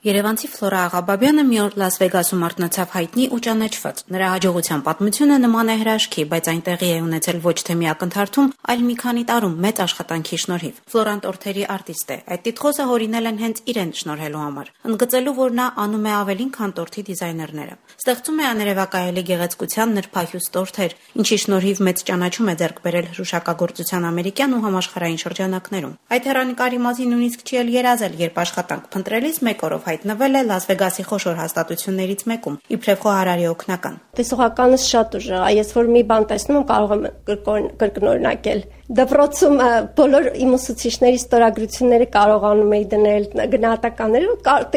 Երևանցի Ֆլորա Աղաբաբյանը մի օր Լաս Վեգասում արթնացավ հայտնի ու ճանաչված։ Նրա հաջողության պատմությունը նման է հրաշքի, բայց այն տեղի է ունեցել ոչ թե մի ակնթարթում, այլ մի քանի տարում մեծ աշխատանքի շնորհիվ։ Ֆլորան տորթերի արտիստ է։ Այդ տիտղոսը հորինել են հենց իրեն շնորհելու համար, ընդգծելու, որ նա անում է ավելին, քան տորթի դիզայներները։ Ստեղծում է աներևակայելի գեղեցկության նրբահյուս տորթեր, ինչի շնորհիվ մեծ ճանաչում է ձեռք բերել հրուշակագործության ամերիկյան ու համաշխարհային շրջանակներում։ Այդ հեռանկարի մասին նույնիսկ չի էլ երազել, երբ աշխատանք փնտրելիս մեկ օրով հայտնվել է Լաս Վեգասի խոշոր հաստատություններից մեկում, իբրև խոհարարի օգնական։ Տեսողականս շատ ուժեղ է, ես որ մի բան տեսնում եմ, կարող եմ կրկնօրինակել։ Դպրոցում բոլոր իմ ուսուցիչների ստորագրությունները կարողանում էի դնել, գնահատականները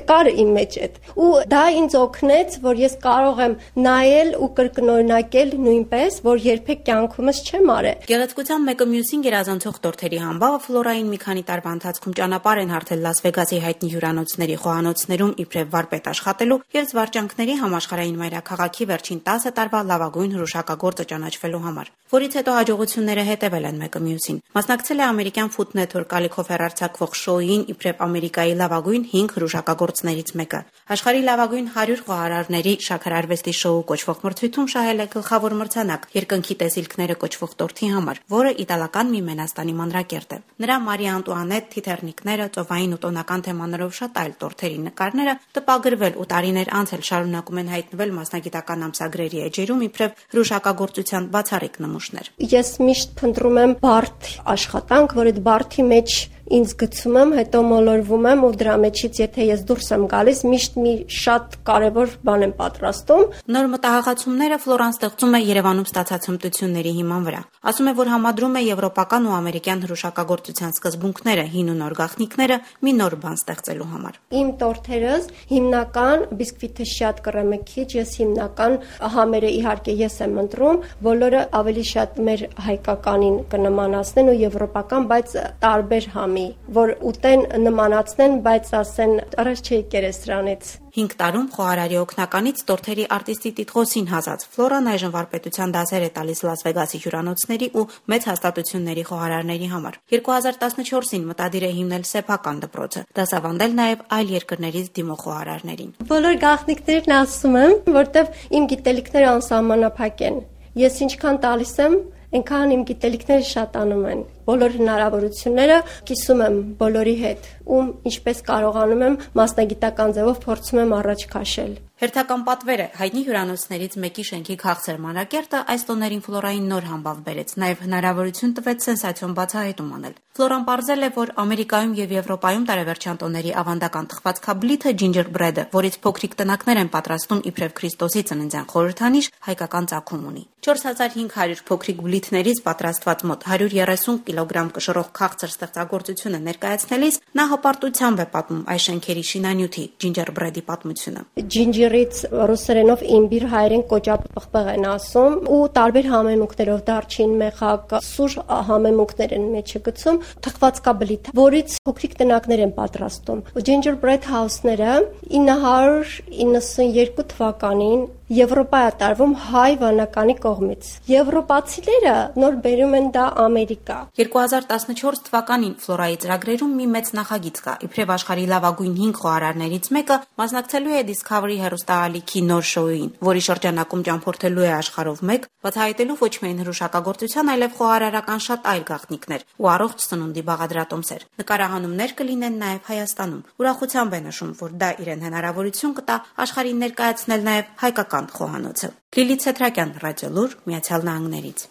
կար իմ մեջ այդ։ Ու դա ինձ օգնեց, որ ես կարող եմ նայել ու կրկնօրինակել նույնպես, որ երբեք կյանքումս չեմ արել։ Գեղեցկության մեկը մյուսին գերազանցող տորթերի համբավը Ֆլորային մի քանի տարվա ընթացքում ճանապարհ են հարթել Լաս Վեգասի հայտնի հյուրանոցների խոհանոցներում իբրև վարպետ աշխատելու եւ զվարճանքների համաշխարհային մայրաքաղաքի վերջին 10 տարվա լավագույն հրուշակագործը ճանաչվելու համար, որից հետո հաջողությունները հետևել են մեկը մյուսին։ Մասնակցել է ամերիկյան Food Network ալիքով հեռարձակվող շոուին իբրև Ամերիկայի լավագույն 5 հրուշակագործներից մեկը։ Աշխարհի լավագույն 100 խոհարարների շաքարարվեստի շոու կոչվող մրցույթում շահել է գլխավոր մրցանակ երկնքի տեսիլքները կոչվող տորթի համար, որը իտալական մի Մենաստանի մանրակերտ է։ Նրա Մարիա Անտուանետ, թիթեռնիկները, ծովային ու տոնական թեմաներով շատ այլ տորթերի նկարները տպագրվել ու տարիներ անց էլ շարունակում են հայտնվել մասնագիտական ամսագրերի էջերում իբրև հրուշակագործության բացառիկ նմուշներ։ Ես միշտ փնտրում եմ բարդ աշխատանք, որ այդ բարդի մեջ ինձ գցում եմ, հետո մոլորվում եմ ու դրա մեջից եթե ես դուրս եմ գալիս, միշտ մի շատ կարևոր բան եմ պատրաստում։ Նոր մտահղացումները Ֆլորան ստեղծում է Երևանում ստացած հմտությունների հիման վրա։ Ասում է, որ համադրում է եվրոպական ու ամերիկյան հրուշակագործության սկզբունքները, հին ու նոր գաղտնիքները մի նոր բան ստեղծելու համար։ Իմ տորթերս հիմնական բիսկվիթը շատ կռեմեքիչ, ես հիմնական համերը իհարկե ես եմ ընտրում, բոլորը ավելի շատ մեր հայկականին կնմանացնեն ու եվրոպական, բայց տարբեր համ որ ուտեն նմանացնեն, բայց ասեն առաջ չի եկել սրանից։ 5 տարում խոհարարի օգնականից տորթերի արտիստի տիտղոսին հասած Ֆլորան այժմ վարպետության դասեր է տալիս Լաս Վեգասի հյուրանոցների ու մեծ հաստատությունների խոհարարների համար։ 2014-ին մտադիր է հիմնել սեփական դպրոցը, դասավանդել նաև այլ երկրներից դիմող խոհարարներին։ Բոլոր գաղտնիքներն ասում եմ, որտեվ իմ գիտելիքները անսահմանափակ են։ Ես ինչքան տալիս եմ, այնքան իմ գիտելիքները շատանում են։ Բոլոր հնարավորությունները կիսում եմ բոլորի հետ, ում ինչպես կարողանում եմ մասնագիտական ձևով փորձում եմ առաջ քաշել։ Հերթական պատվերը հայտնի հյուրանոցներից մեկի շենքի քաղցր մանրակերտը այս տոներին Ֆլորային նոր համբավ բերեց, նաև հնարավորություն տվեց սենսացիոն բացահայտում անել։ Ֆլորան պարզել է, որ Ամերիկայում եւ Եվրոպայում տարեվերջյան տոների ավանդական թխվածքաբլիթը ջինջերբրեդը, որից փոքրիկ տնակներ են պատրաստում իբրև Քրիստոսի ծննդյան խորհրդանիշ, հայկական ծագում ունի։ 4500 փոքրիկ բլիթներից պատրաստված մոտ 130 կիլոգրամ կշռող քաղցր ստեղծագործությունը ներկայացնելիս նա հպարտությամբ է պատմում այս շենքերի շինանյութի ջինջերբրեդի պատմությունը։ Ջինջերից ռուսերենով իմբիր, հայերեն կոճապղպեղ են ասում ու տարբեր համեմունքներով դարչին, մեխակ, սուր համեմունքներ են մեջը գցում, թխվածքաբլիթ, որից փոքրիկ տնակներ են պատրաստում։ Ջինջերբրեդ հաուսները 992 թվականին Եվրոպա է տարվում հայ վանականի կողմից։ Եվրոպացիները նոր բերում են դա Ամերիկա։ 2014 թվականին Ֆլորայի ծրագրերում մի մեծ նախագիծ կա, իբրև աշխարհի լավագույն 5 խոհարարներից մեկը մասնակցելու է Discovery հեռուստաալիքի նոր շոուին, որի շրջանակում ճամփորդելու է աշխարհով մեկ, բացահայտելու ոչ միայն հրուշակագործության, այլև խոհարարական շատ այլ գաղտնիքներ ու առողջ սնունդի բաղադրատոմսեր։ Նկարահանումներ կլինեն նաև Հայաստանում։ Ուրախությամբ է նշում, որ դա իրեն հնարավորություն կտա աշխարհին ներկայացնել նաև հայկական խոհանոցը։ Լիլիթ Սեթրակյան, Ռադիոլուր, Միացյալ Նահանգներից։